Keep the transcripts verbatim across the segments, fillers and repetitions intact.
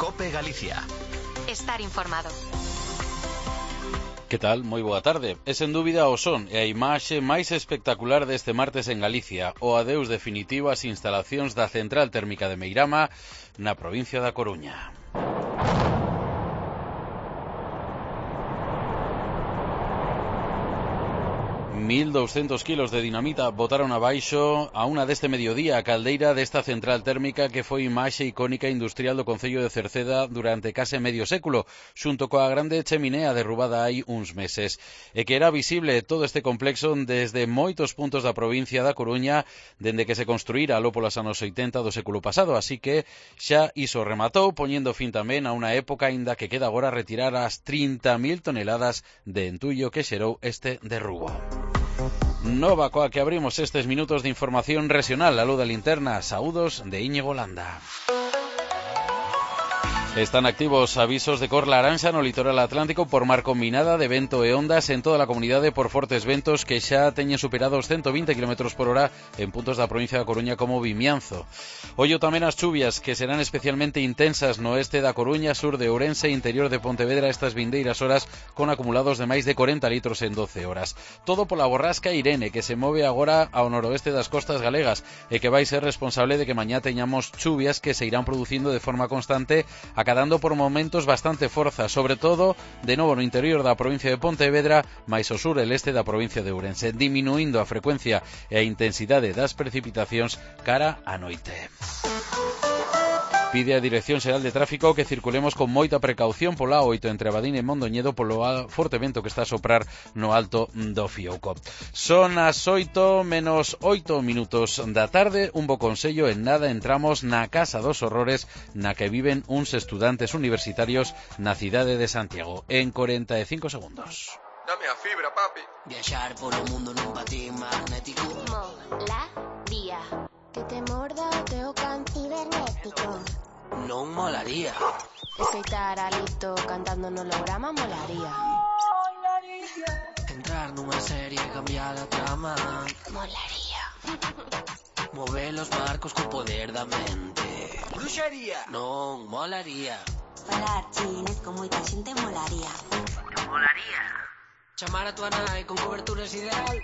COPE Galicia. Estar informado. Que tal? Moi boa tarde. É sen dúbida o son e a imaxe máis espectacular deste martes en Galicia, o adeus definitivo ás instalacións da central térmica de Meirama na provincia da Coruña. mil doscientos kilos de dinamita botaron abaixo a unha deste mediodía a caldeira desta central térmica que foi imaxe icónica industrial do concello de Cerceda durante case medio século, xunto coa grande cheminea derrubada hai uns meses, e que era visible todo este complexo desde moitos puntos da provincia da Coruña dende que se construíra aló polos anos oitenta do século pasado, así que xa iso rematou, poñendo fin tamén a unha época aínda que queda agora retirar as trinta mil toneladas de entullo que xerou este derrubo. Nova coa que abrimos estes minutos de información regional, a luz da linterna. Saúdos de Íñigo Landa. Están activos avisos de cor laranxa no litoral atlántico por mar combinada de vento e ondas en toda a comunidade por fortes ventos que xa teñen superado os ciento vinte kilómetros por hora en puntos da provincia da Coruña como Vimianzo. Ollo tamén as chuvias que serán especialmente intensas no oeste da Coruña, sur de Ourense e interior de Pontevedra estas vindeiras horas con acumulados de máis de corenta litros en doce horas. Todo pola borrasca Irene que se move agora ao noroeste das costas galegas e que vai ser responsable de que mañá teñamos chuvias que se irán producindo de forma constante a acadando por momentos bastante forza, sobre todo de novo no interior da provincia de Pontevedra, máis ao sur e leste da provincia de Ourense, diminuindo a frecuencia e a intensidade das precipitacións cara á noite. Pide a Dirección Xeral de Tráfico que circulemos con moita precaución pola A oito entre Abadín e Mondoñedo polo forte vento que está a soprar no alto do Fiouco. Son as oito menos oito minutos da tarde. Un bo consello, en nada entramos na Casa dos Horrores na que viven uns estudantes universitarios na cidade de Santiago. En cuarenta e cinco segundos. Dame a fibra, papi. Viaxar polo mundo nun patín magnético. Molaría. Que te morda o teu can cibernético. Non molaría. Escoitar a Lito cantando no holograma molaría. Molaría. Entrar nunha serie e cambiar a trama. Molaría. Mover os marcos co poder da mente. Bruxería. Non molaría. Falar chinés con moita xente molaría. Molaría. Chamar a tua nai con coberturas ideal.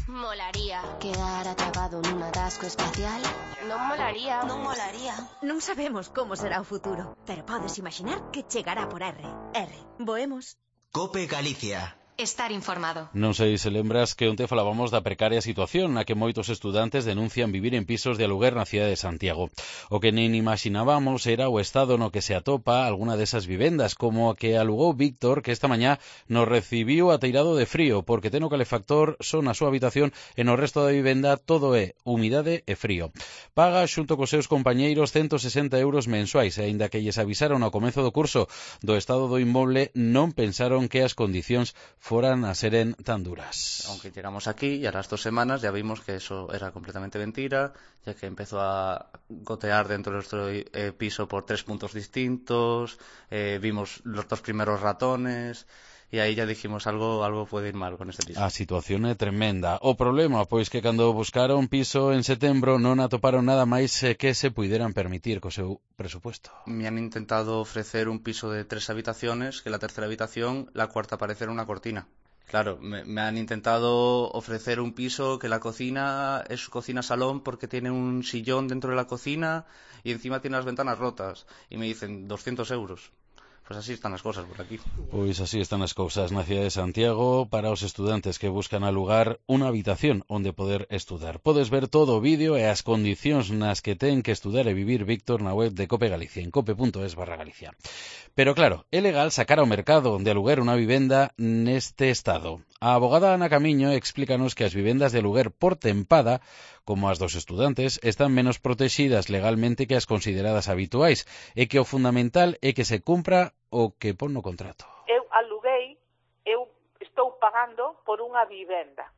Molaría. Quedar atrapado nun atasco espacial. Non molaría. Non molaría. Non sabemos como será o futuro, pero podes imaginar que chegará por R. R. Voemos. COPE Galicia. Estar informado. Non sei se lembras que onte falábamos da precaria situación na que moitos estudantes denuncian vivir en pisos de aluguer na cidade de Santiago. O que nin imaginábamos era o estado no que se atopa alguna desas vivendas, como a que alugou Víctor, que esta mañá nos recibiu ateirado de frío, porque ten o calefactor só na súa habitación e no resto da vivenda todo é humidade e frío. Paga xunto cos seus compañeiros ciento sesenta euros mensuais, e aínda que lles avisaron ao comezo do curso do estado do inmoble, non pensaron que as condicións foran a seren tan duras. Aunque llegamos aquí y a las dos semanas ya vimos que eso era completamente mentira, ya que empezó a gotear dentro de nuestro eh, piso por tres puntos distintos, eh, vimos los dos primeros ratones. E aí ya dijimos algo algo pode ir mal con este piso. A situación é tremenda. O problema, pois que cando buscaron piso en setembro non atoparon nada máis que se puideran permitir co seu presupuesto. Me han intentado ofrecer un piso de tres habitaciones, que la tercera habitación, la cuarta parece una cortina. Claro, me, me han intentado ofrecer un piso que la cocina es cocina-salón porque tiene un sillón dentro de la cocina y encima tiene las ventanas rotas. Y me dicen doscientos euros. Pues así están as cousas por aquí. Pois así están as cousas na cidade de Santiago para os estudantes que buscan alugar unha habitación onde poder estudar. Podes ver todo o vídeo e as condicións nas que ten que estudar e vivir Víctor na web de Cope Galicia, en cope punto es barra Galicia. Pero claro, é legal sacar ao mercado de aluguer unha vivenda neste estado. A abogada Ana Camiño explícanos que as vivendas de aluguer por tempada, como as dos estudantes, están menos protegidas legalmente que as consideradas habituais e que o fundamental é que se cumpra o que pon no contrato. Eu aluguei, eu estou pagando por unha vivenda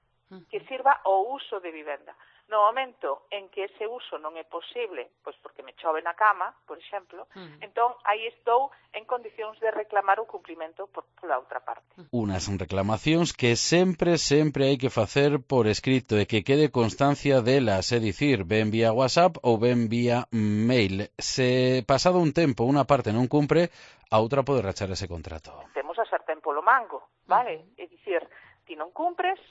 que sirva ao uso de vivenda. No momento en que ese uso non é posible, pois porque me chove na cama, por exemplo, uh-huh. entón aí estou en condicións de reclamar o cumprimento por, pola outra parte. Unas reclamacións que sempre, sempre hai que facer por escrito e que quede constancia delas, é dicir, ben vía WhatsApp ou ben vía mail. Se pasado un tempo unha parte non cumpre, a outra pode rachar ese contrato. Temos a sartén polo mango, vale? Uh-huh. É dicir, ti non cumpres,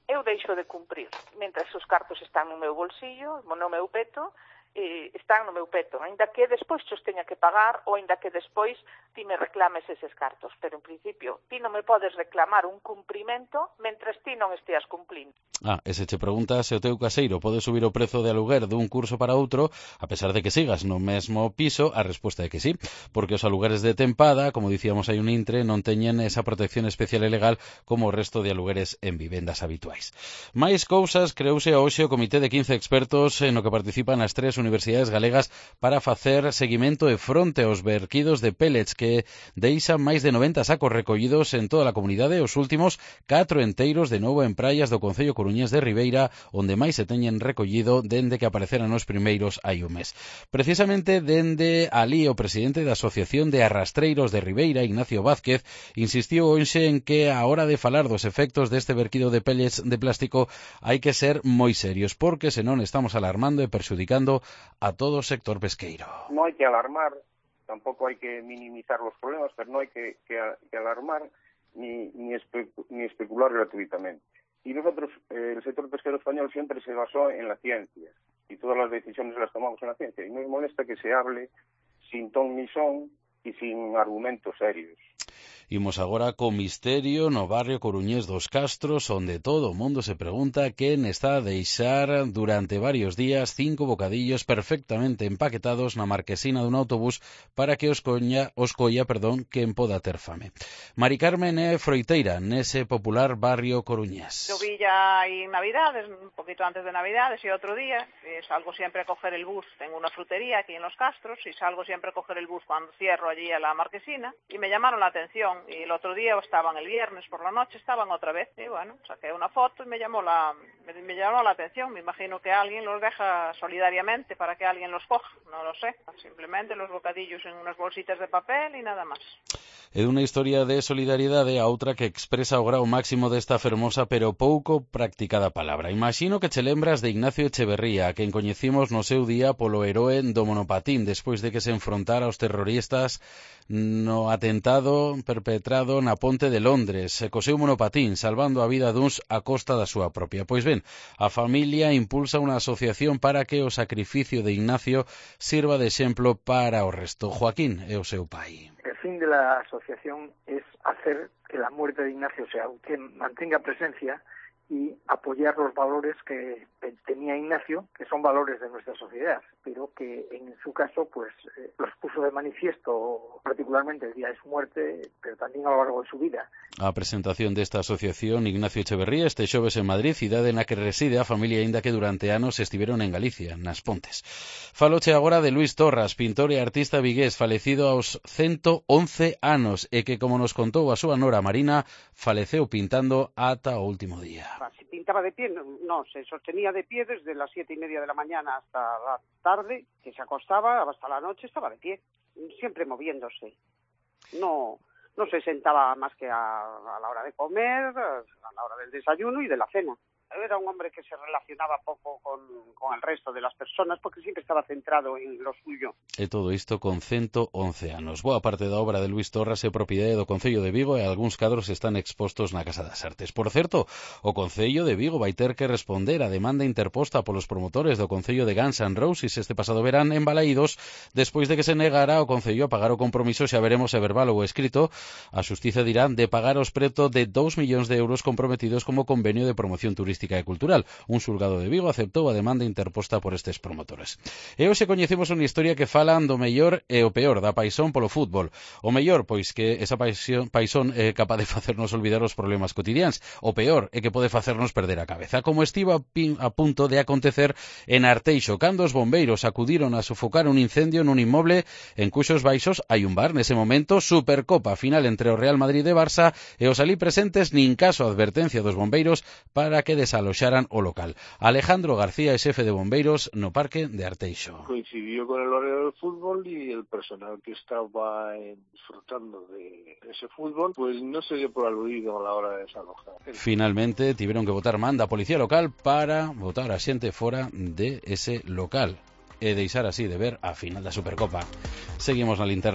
eu deixo de cumprir. Mentres os cartos están no meu bolsillo, no meu peto, eh, están no meu peto. Ainda que despois os teña que pagar ou ainda que despois ti me reclames eses cartos. Pero, en principio, ti non me podes reclamar un cumprimento mentres ti non esteas cumplindo. Ah, e se che pregunta se o teu caseiro pode subir o prezo de aluguer dun curso para outro, a pesar de que sigas no mesmo piso, a resposta é que sí, porque os alugueres de tempada, como dicíamos hai un intre, non teñen esa protección especial e legal como o resto de alugueres en vivendas habituais. Máis cousas, creouse hoxe o comité de quince expertos no que participan as tres universidades galegas para facer seguimento e fronte aos verquidos de pellets que deixan máis de noventa sacos recollidos en toda a comunidade, os últimos catro enteiros de novo en praias do concello Coruñés de Ribeira, onde máis se teñen recollido dende que apareceran os primeiros hai un mes. Precisamente dende alí o presidente da Asociación de Arrastreiros de Ribeira, Ignacio Vázquez, insistiu hoxe en que a hora de falar dos efectos deste verquido de pellets de plástico hai que ser moi serios, porque senón estamos alarmando e perxudicando a todo o sector pesqueiro. Non hai que alarmar, tampouco hai que minimizar os problemas, pero non hai que, que, que alarmar ni, ni, espe, ni especular gratuitamente. Y nosotros, eh, el sector pesquero español siempre se basó en la ciencia y todas las decisiones las tomamos en la ciencia. Y nos molesta que se hable sin ton ni son y sin argumentos serios. Imos agora co misterio no barrio coruñés dos Castros, onde todo o mundo se pregunta quen está a deixar durante varios días cinco bocadillos perfectamente empaquetados na marquesina dun autobús para que os coña, os colla, perdón, quen poda ter fame. Mari Carmen é froiteira nese popular barrio coruñés. Yo vi ya aí Navidades, un poquito antes de Navidades y otro día, eh, salgo siempre a coger el bus, tengo una frutería aquí en los Castros y salgo siempre a coger el bus cuando cierro allí a la marquesina y me llamaron la atención. Y el otro día estaban, el viernes por la noche, estaban otra vez. Y bueno, saqué una foto y me llamó la me, me llamó la atención. Me imagino que alguien los deja solidariamente para que alguien los coja. No lo sé. Simplemente los bocadillos en unas bolsitas de papel y nada más. É unha historia de solidariedade a outra que expresa o grau máximo desta fermosa pero pouco practicada palabra. Imagino que che lembras de Ignacio Echeverría, a quen coñecimos no seu día polo heroe do monopatín, despois de que se enfrontara aos terroristas no atentado perpetrado na ponte de Londres, co seu monopatín, salvando a vida duns a costa da súa propia. Pois ben, a familia impulsa unha asociación para que o sacrificio de Ignacio sirva de exemplo para o resto. Joaquín é o seu pai. El fin de la asociación es hacer que la muerte de Ignacio sea, que mantenga presencia y apoyar los valores que tenía Ignacio, que son valores de nuestra sociedad, pero que en su caso pues eh, los puso de manifiesto particularmente el día de su muerte, pero también a lo largo de su vida. A presentación desta asociación Ignacio Echeverría este xoves en Madrid, cidade na que reside a familia, aínda que durante anos estiveron en Galicia, nas Pontes. Faloche agora de Luis Torras, pintor e artista vigués, falecido aos ciento once anos e que, como nos contou a súa nora Marina, faleceu pintando ata o último día. Si pintaba de pie, no, no, se sostenía de pie desde las siete y media de la mañana hasta la tarde, que se acostaba, hasta la noche estaba de pie, siempre moviéndose. No, no se sentaba más que a, a la hora de comer, a la hora del desayuno y de la cena. Era un hombre que se relacionaba poco con, con el resto de las personas porque siempre estaba centrado en lo suyo. E todo isto con ciento once anos. Boa parte da obra de Luis Torras é propiedade do Concello de Vigo e algúns cadros están expostos na Casa das Artes. Por certo, o Concello de Vigo vai ter que responder a demanda interposta polos promotores do Concello de Guns N' Roses este pasado verán en Balaídos, despois de que se negara o Concello a pagar o compromiso, xa veremos se verbal ou escrito, a Xustiza dirá de pagar os preto de dous millóns de euros comprometidos como convenio de promoción turística e cultural. Un xulgado de Vigo aceptou a demanda interposta por estes promotores. E hoxe coñecemos unha historia que falan do mellor e o peor da paixón polo fútbol. O mellor, pois que esa paixón, paixón é capaz de facernos olvidar os problemas cotidianos. O peor é que pode facernos perder a cabeza, como estivo a, pin, a punto de acontecer en Arteixo, cando os bombeiros acudiron a sofocar un incendio nun inmoble en cuxos baixos hai un bar. Nese momento, Supercopa final entre o Real Madrid e Barça, e os alí presentes nin caso a advertencia dos bombeiros para que desaloxaran o local. Alejandro García é xefe de bombeiros no parque de Arteixo. Coincidió con el horario del fútbol y el personal que estaba eh, disfrutando de ese fútbol, pues no se dio por aludido a la hora de desalojar. Finalmente tiveron que botar manda a policía local para botar a xente fora de ese local e deixar así de ver a final da Supercopa. Seguimos na linterna.